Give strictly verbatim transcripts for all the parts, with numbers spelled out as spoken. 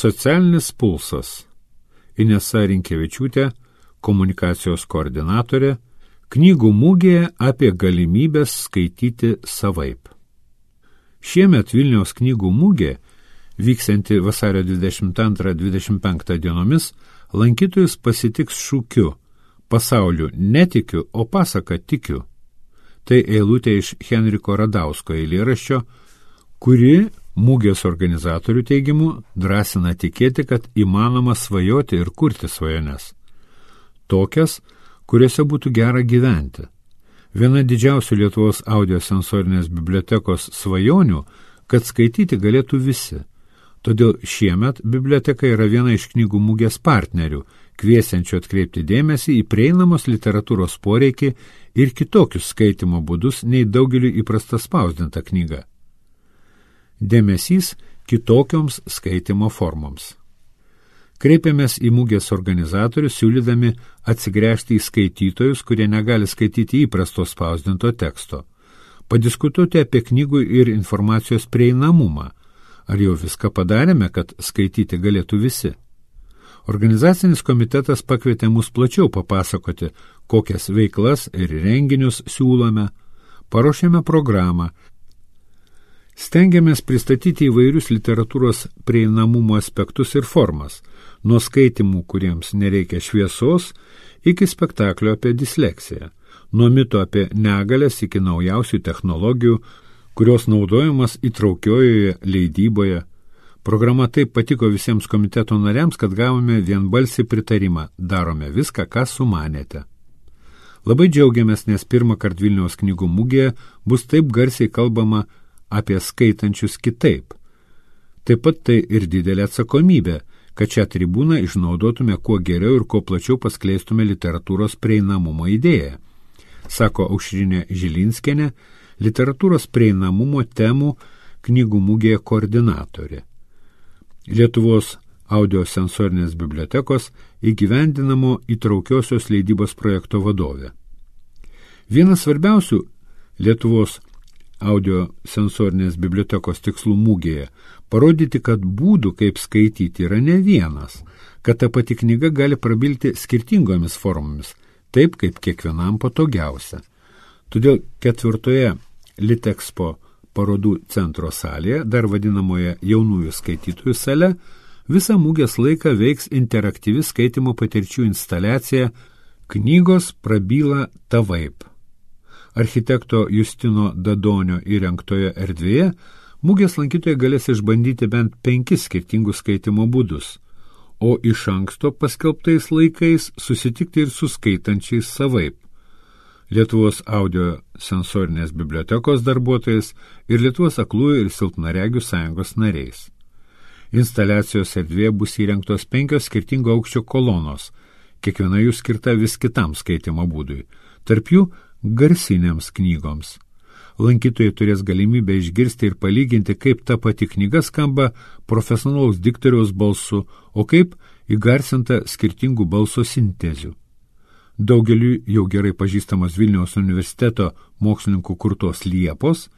Socialinis pulsas. Inesa Rinkevičiūtė, komunikacijos koordinatorė, knygų mugėje apie galimybės skaityti savaip. Šiemet Vilniaus knygų mugė, vyksianti vasario dvidešimt antrą dvidešimt penktą dienomis, lankytojus pasitiks šūkiu pasauliu netikiu, o pasaka tikiu. Tai eilutė iš Henriko Radausko eilėraščio, kuri mugės organizatorių teigimu drąsina tikėti, kad įmanoma svajoti ir kurti svajones. Tokias, kuriuose būtų gera gyventi. Viena didžiausių Lietuvos audiosensorinės bibliotekos svajonių, kad skaityti galėtų visi. Todėl šiemet biblioteka yra viena iš knygų mugės partnerių, kviesiančių atkreipti dėmesį į prieinamos literatūros poreikį ir kitokius skaitimo būdus nei daugeliu įprasta spausdinta knyga. Dėmesys kitokioms skaitimo formoms. Kreipiamės į mugės organizatorius, siūlydami atsigręžti į skaitytojus, kurie negali skaityti įprasto spausdinto teksto. Padiskutuoti apie knygų ir informacijos prieinamumą. Ar jau viską padarėme, kad skaityti galėtų visi? Organizacinis komitetas pakvietė mus plačiau papasakoti, kokias veiklas ir renginius siūlome. Paruošėme programą. Stengiamės pristatyti įvairius literatūros prieinamumo aspektus ir formas, nuo skaitimų, kuriems nereikia šviesos, iki spektaklio apie disleksiją, nuo mito apie negalias iki naujausių technologijų, kurios naudojamas įtraukiojoje leidyboje. Programa taip patiko visiems komiteto nariams, kad gavome vienbalsį pritarimą. Darome viską, ką sumanėte. Labai džiaugiamės, nes pirmą kartą Vilniaus knygų mugėje bus taip garsiai kalbama apie skaitančius kitaip. Taip pat tai ir didelė atsakomybė, kad šią tribūną išnaudotume kuo geriau ir kuo plačiau paskleistume literatūros prieinamumo idėją, sako Aušrinė Žilinskienė, literatūros prieinamumo temų knygų mugėje koordinatorė. Lietuvos audiosensorinės bibliotekos įgyvendinamo įtraukiosios leidybos projekto vadovė. Vienas svarbiausių Lietuvos audiosensorinės bibliotekos tikslų mugėje parodyti, kad būdų, kaip skaityti, yra ne vienas, kad ta pati knyga gali prabilti skirtingomis formomis, taip kaip kiekvienam patogiausia. Todėl ketvirtoje Litexpo parodų centro salėje, dar vadinamoje jaunųjų skaitytojų sale, visą mugės laiką veiks interaktyvi skaitimo patirčių instaliacija Knygos prabyla tavaip. Architekto Justino Dadonio įrengtoje erdvėje mugės lankytojai galės išbandyti bent penkis skirtingus skaitimo būdus, o iš anksto paskelbtais laikais susitikti ir su skaitančiais savaip. Lietuvos audiosensorinės bibliotekos darbuotojais ir Lietuvos aklųjų ir silpnaregių sąjungos nariais. Instaliacijos erdvėje bus įrengtos penkios skirtingo aukščio kolonos, kiekviena jų skirta vis kitam skaitimo būdui, tarp jų garsinėms knygoms. Lankytojai turės galimybę išgirsti ir palyginti, kaip ta pati knyga skamba profesionalaus diktoriaus balsu, o kaip įgarsinta skirtingų balso sintezių. Daugeliui jau gerai pažįstamos Vilniaus universiteto mokslininkų kurtos liepos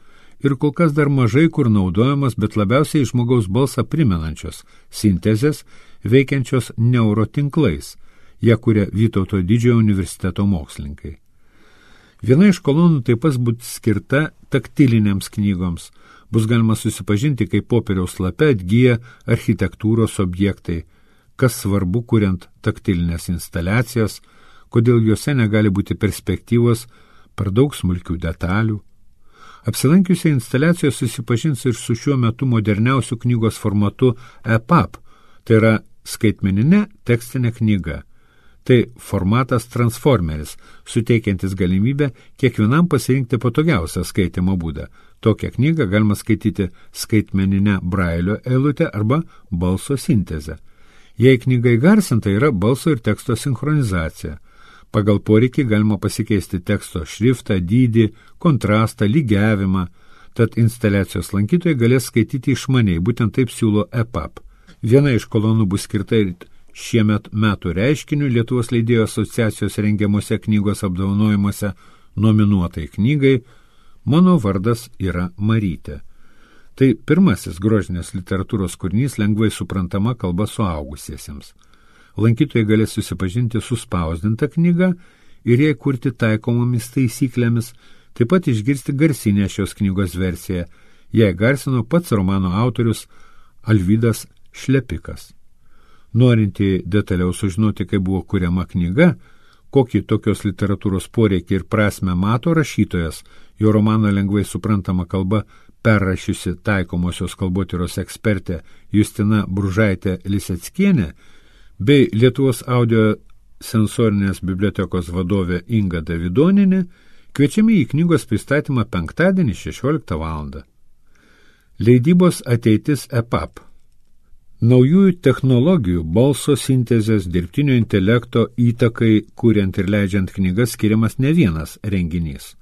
ir kol kas dar mažai kur naudojamas, bet labiausiai žmogaus balsą primenančios sintezės veikiančios neurotinklais, ją kuria Vytauto didžiojo universiteto mokslininkai. Viena iš kolonų taip pat bus skirta taktilinėms knygoms. Bus galima susipažinti, kaip popieriaus lape atgyja architektūros objektai, kas svarbu kuriant taktilinės instaliacijas, kodėl juose negali būti perspektyvos per daug smulkių detalių. Apsilankiusiai instaliacijos susipažins ir su šiuo metu moderniausiu knygos formatu E P U B, tai yra skaitmeninė tekstinė knyga. Tai formatas transformeris, suteikiantis galimybę kiekvienam pasirinkti patogiausią skaitimo būdą. Tokią knygą galima skaityti skaitmeninę brailio eilutę arba balso sintezę. Jei knyga įgarsinta, yra balso ir teksto sinchronizacija. Pagal poreikį galima pasikeisti teksto šriftą, dydį, kontrastą, lygiavimą, tad instaliacijos lankytojai galės skaityti išmaniai, būtent taip siūlo E P U B. Viena iš kolonų bus skirta ir šiemet metų reiškiniu Lietuvos leidėjų asociacijos rengiamuose knygos apdovanojimuose nominuotai knygai Mano vardas yra Marytė. Tai pirmasis grožinės literatūros kūrinys lengvai suprantama kalba suaugusiesiems. Lankytojai galės susipažinti su spausdinta knyga ir jai kurti taikomomis taisyklėmis, taip pat išgirsti garsinę šios knygos versiją. Jai garsino pats romano autorius Alvydas Šlepikas. Norinti detaliau sužinoti, kaip buvo kuriama knyga, kokį tokios literatūros poreikį ir prasmę mato rašytojas, jo romaną lengvai suprantama kalba perrašiusi taikomosios kalbotyros ekspertė Justina Bružaitė Liseckienė bei Lietuvos audio sensorinės bibliotekos vadovė Inga Davidonienė, kviečiami į knygos pristatymą penktadienį šešioliktą valandą. Leidybos ateitis E P A P. Naujųjų technologijų, balso sintezės, dirbtinio intelekto įtakai, kuriant ir leidžiant knygas, skiriamas ne vienas renginys.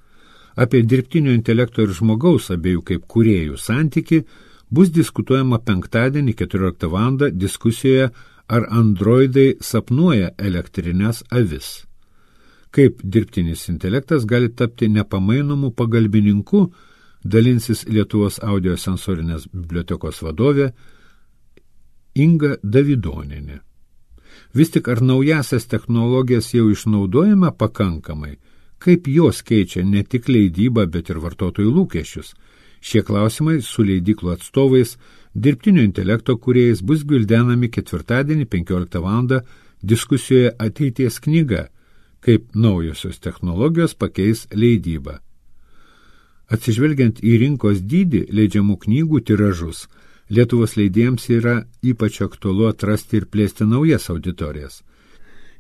Apie dirbtinio intelekto ir žmogaus abiejų kaip kūrėjų santyki bus diskutuojama penktadienį keturioliktą valandą diskusijoje ar androidai sapnuoja elektrinės avis. Kaip dirbtinis intelektas gali tapti nepamainomu pagalbininku, dalinsis Lietuvos audio sensorinės bibliotekos vadovė Inga Davidonienė. Vis tik ar naujasias technologijas jau išnaudojame pakankamai, kaip jos keičia ne tik leidybą, bet ir vartotojų lūkesčius? Šie klausimai su leidyklų atstovais, dirbtinio intelekto kūrėjais bus gvildenami ketvirtadienį penkioliktą valandą diskusijoje Ateities knyga, kaip naujosios technologijos pakeis leidybą. Atsižvelgiant į rinkos dydį leidžiamų knygų tiražus, Lietuvos leidėjams yra ypač aktualu atrasti ir plėsti naujas auditorijas.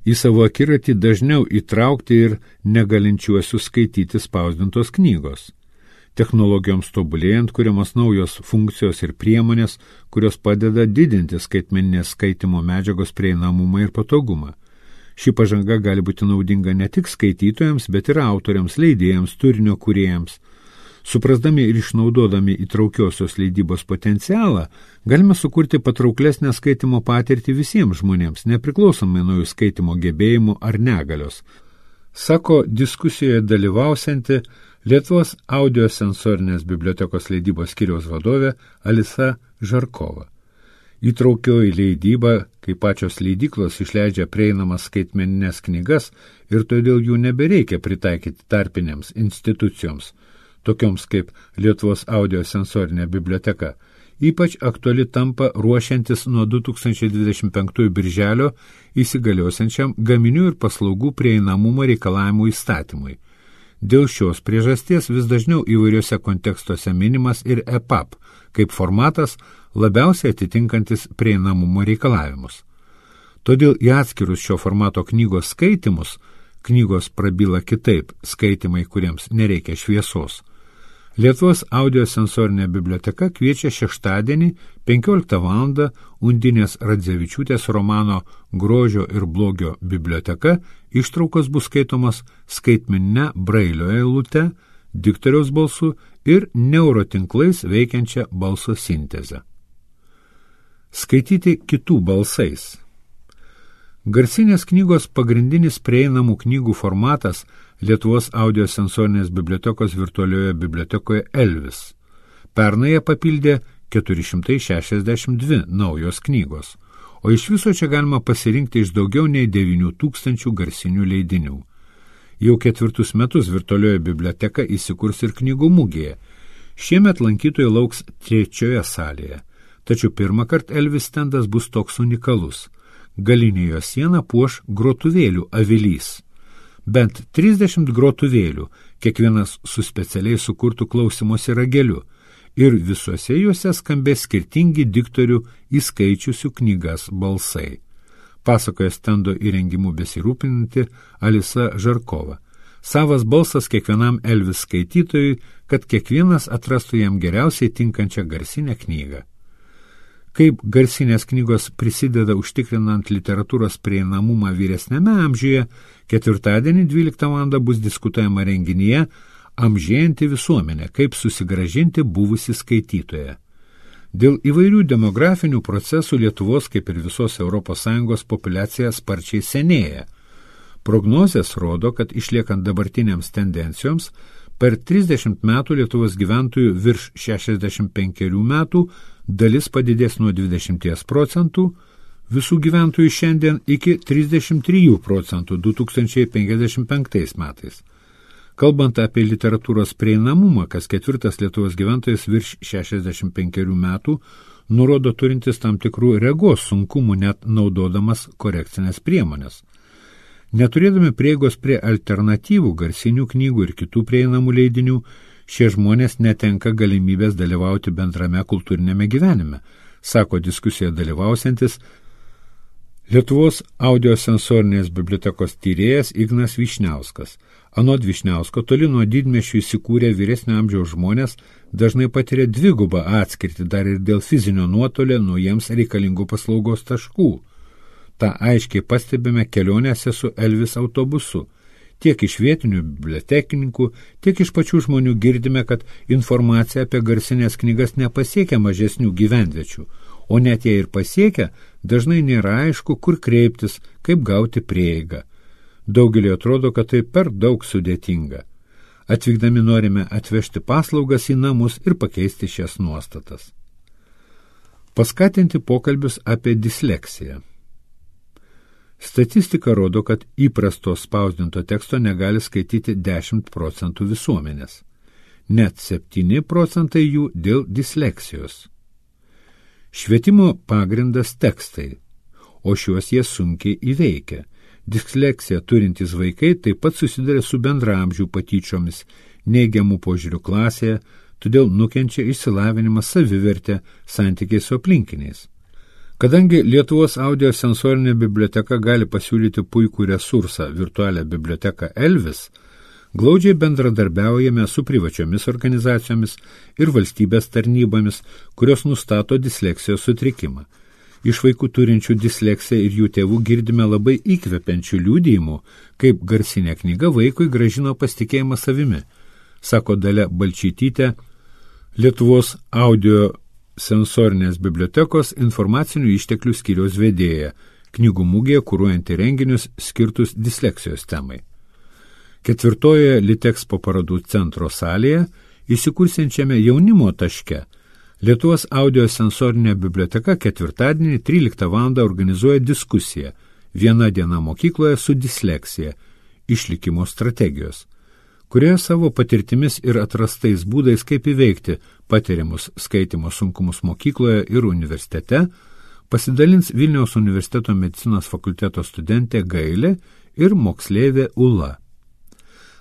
Į savo akiratį dažniau įtraukti ir negalinčiuosius skaityti spausdintos knygos. Technologijoms tobulėjant kuriamos naujos funkcijos ir priemonės, kurios padeda didinti skaitmeninės skaitimo medžiagos prieinamumą ir patogumą. Ši pažanga gali būti naudinga ne tik skaitytojams, bet ir autoriams, leidėjams, turinio kūrėjams. Suprasdami ir išnaudodami įtraukiosios leidybos potencialą, galime sukurti patrauklesnę skaitimo patirtį visiems žmonėms, nepriklausomai nuo jų skaitimo gebėjimų ar negalios, sako diskusijoje dalyvausianti Lietuvos audio sensorinės bibliotekos leidybos skyriaus vadovė Alisa Žarkova. Įtraukioji leidyba, kai pačios leidyklos išleidžia prieinamas skaitmeninės knygas ir todėl jų nebereikia pritaikyti tarpinėms institucijoms, tokioms kaip Lietuvos audio sensorinė biblioteka, ypač aktuali tampa ruošiantis nuo du tūkstančiai dvidešimt penktųjų birželio įsigaliosiančiam gaminių ir paslaugų prieinamumo reikalavimų įstatymui. Dėl šios priežasties vis dažniau įvairiuose kontekstuose minimas ir E P A P, kaip formatas labiausiai atitinkantis prieinamumo reikalavimus. Todėl į atskirus šio formato knygos skaitimus, knygos prabyla kitaip, skaitimai, kuriems nereikia šviesos, Lietuvos audio sensorinė biblioteka kviečia šeštadienį penkioliktą valandą Undinės Radzevičiūtės romano Grožio ir blogio biblioteka ištraukos bus skaitomos skaitmeninę brailio eilute, diktoriaus balsu ir neurotinklais veikiančią balso sintezę. Skaityti kitų balsais. Garsinės knygos pagrindinis prieinamų knygų formatas Lietuvos audio sensorinės bibliotekos virtualioje bibliotekoje Elvis. Pernai ją papildė keturi šimtai šešiasdešimt dvi naujos knygos, o iš viso čia galima pasirinkti iš daugiau nei devynių tūkstančių garsinių leidinių. Jau ketvirtus metus virtualioje biblioteka įsikurs ir knygų mugėje. Šiemet lankytojai lauks trečioje salėje, tačiau pirmą kartą Elvis stendas bus toks unikalus. Galinė jo siena puoš grotuvėlių avilys. Bent trisdešimt grotuvėlių, kiekvienas su specialiai sukurtų klausymosi rageliu, ir visuose juose skambės skirtingi diktorių įskaičiusių knygas balsai. Pasakoja stendo įrengimu besirūpinanti Alisa Žarkova. Savas balsas kiekvienam Elvis skaitytojui, kad kiekvienas atrastų jam geriausiai tinkančią garsinę knygą. Kaip garsinės knygos prisideda užtikrinant literatūros prieinamumą vyresnėme amžiuje, ketvirtadienį dvyliktą valandą bus diskutuojama renginyje Amžėjanti visuomenė, kaip susigrąžinti buvusį skaitytoją. Dėl įvairių demografinių procesų Lietuvos, kaip ir visos Europos Sąjungos, populiacija sparčiai senėja. Prognozės rodo, kad išliekant dabartiniams tendencijoms, Per trisdešimt metų Lietuvos gyventojų virš šešiasdešimt penkerių metų dalis padidės nuo dvidešimt procentų visų gyventojų šiandien iki trisdešimt trijų procentų du tūkstančiai penkiasdešimt penktais metais. Kalbant apie literatūros prieinamumą, kas ketvirtas Lietuvos gyventojas virš šešiasdešimt penkerių metų nurodo turintis tam tikrų regos sunkumų net naudodamas korekcinės priemonės. Neturėdami prieigos prie alternatyvų, garsinių knygų ir kitų prieinamų leidinių, šie žmonės netenka galimybės dalyvauti bendrame kultūrinėme gyvenime, sako diskusijoje dalyvausiantis Lietuvos audiosensorinės bibliotekos tyrėjas Ignas Vyšniauskas. Anot Vyšniausko, toli nuo didmiesčių įsikūrę vyresnio amžiaus žmonės dažnai patiria dvigubą atskirtį dar ir dėl fizinio nuotolio nuo jiems reikalingų paslaugos taškų. Ta aiškiai pastebime kelionėse su Elvis autobusu. Tiek iš vietinių bibliotekininkų, tiek iš pačių žmonių girdime, kad informacija apie garsinės knygas nepasiekia mažesnių gyvenviečių, o net jei ir pasiekia, dažnai nėra aišku, kur kreiptis, kaip gauti prieigą. Daugelį atrodo, kad tai per daug sudėtinga. Atvykdami norime atvežti paslaugas į namus ir pakeisti šias nuostatas. Paskatinti pokalbius apie disleksiją. Statistika rodo, kad įprasto spausdinto teksto negali skaityti dešimt procentų visuomenės. Net septyni procentai jų dėl disleksijos. Švietimo pagrindas tekstai, o šiuos jie sunkiai įveikia. Disleksiją turintys vaikai taip pat susiduria su bendraamžių patyčiomis, neigiamų požiūrių klasėje, todėl nukenčia išsilavinimas, savivertė, santykiai su aplinkiniais. Kadangi Lietuvos audiosensorinė biblioteka gali pasiūlyti puikų resursą virtualią biblioteką Elvis, glaudžiai bendradarbiaujame su privačiomis organizacijomis ir valstybės tarnybomis, kurios nustato disleksijos sutrikimą. Iš vaikų turinčių disleksiją ir jų tėvų girdime labai įkvepiančių liudijimų, kaip garsinė knyga vaikui grąžino pasitikėjimą savimi, sako Dalia Balčytytė, Lietuvos audio sensorinės bibliotekos informacinių išteklių skyriaus vedėja, knygų mugėje kuruojanti renginius skirtus disleksijos temai. Ketvirtojoje Litexpo parodų centro salėje, įsikursiančiame jaunimo taške, Lietuvos audiosensorinė biblioteka ketvirtadienį tryliktą valandą organizuoja diskusiją Viena diena mokykloje su disleksija, išlikimo strategijos, kurioje savo patirtimis ir atrastais būdais, kaip įveikti patiriamus skaitymo sunkumus mokykloje ir universitete, pasidalins Vilniaus universiteto medicinos fakulteto studentė Gailė ir moksleivė Ula.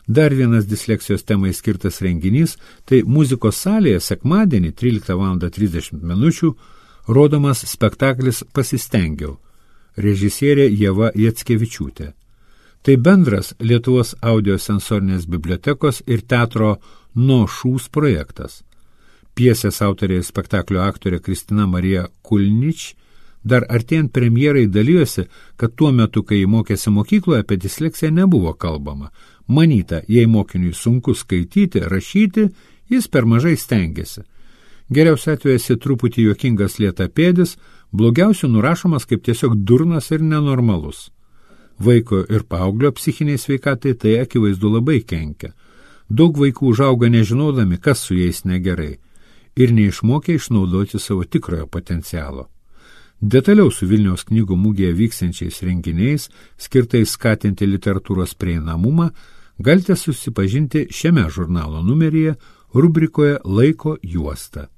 Dar vienas disleksijos temai skirtas renginys, tai muzikos salėje sekmadienį tryliktą valandą trisdešimt minučių rodomas spektaklis Pasistengiau, režisierė Ieva Jackevičiūtė. Tai bendras Lietuvos audiosensorinės bibliotekos ir teatro No Šūs projektas. Piesės autorė ir spektaklio aktorė Kristina Marija Kulnič dar artėjant premjerai dalyjosi, kad tuo metu, kai jį mokėsi mokykloje, apie disleksiją nebuvo kalbama. Manyta, jei mokiniui sunku skaityti, rašyti, jis per mažai stengiasi. Geriausiu atveju esi truputį juokingas lėtapėdis, blogiausiu nurašomas kaip tiesiog durnas ir nenormalus. Vaiko ir paauglio psichiniai sveikatai tai akivaizdu labai kenkia. Daug vaikų užauga nežinodami, kas su jais negerai, ir neišmokė išnaudoti savo tikrojo potencialo. Detaliau su Vilniaus knygų mugėje vyksiančiais renginiais, skirtais skatinti literatūros prieinamumą, galite susipažinti šiame žurnalo numeryje rubrikoje Laiko juosta.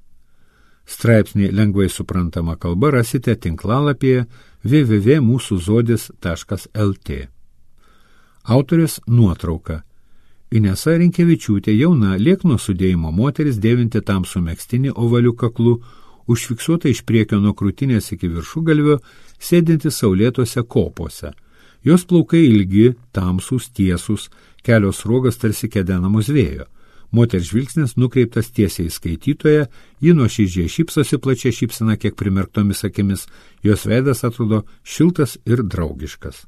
Straipsnį lengvai suprantama kalba rasite tinklalapyje w w w taškas mūsų zodis taškas l t. Autorės nuotrauka. Inesa Rinkevičiūtė, jauna, liekno sudėjimo moteris, dėvinti tamsų megztinį ovaliu kaklu, užfiksuota iš priekio nuo krūtinės iki viršugalvio, sėdinti saulėtose kopose. Jos plaukai ilgi, tamsūs, tiesūs, kelios sruogos tarsi kedenamos vėjo. Moters žvilgsnis nukreiptas tiesiai į skaitytoją, ji nuoširdžiai šypsosi plačia šypsena kiek primerktomis akimis, jos veidas atrodo šiltas ir draugiškas.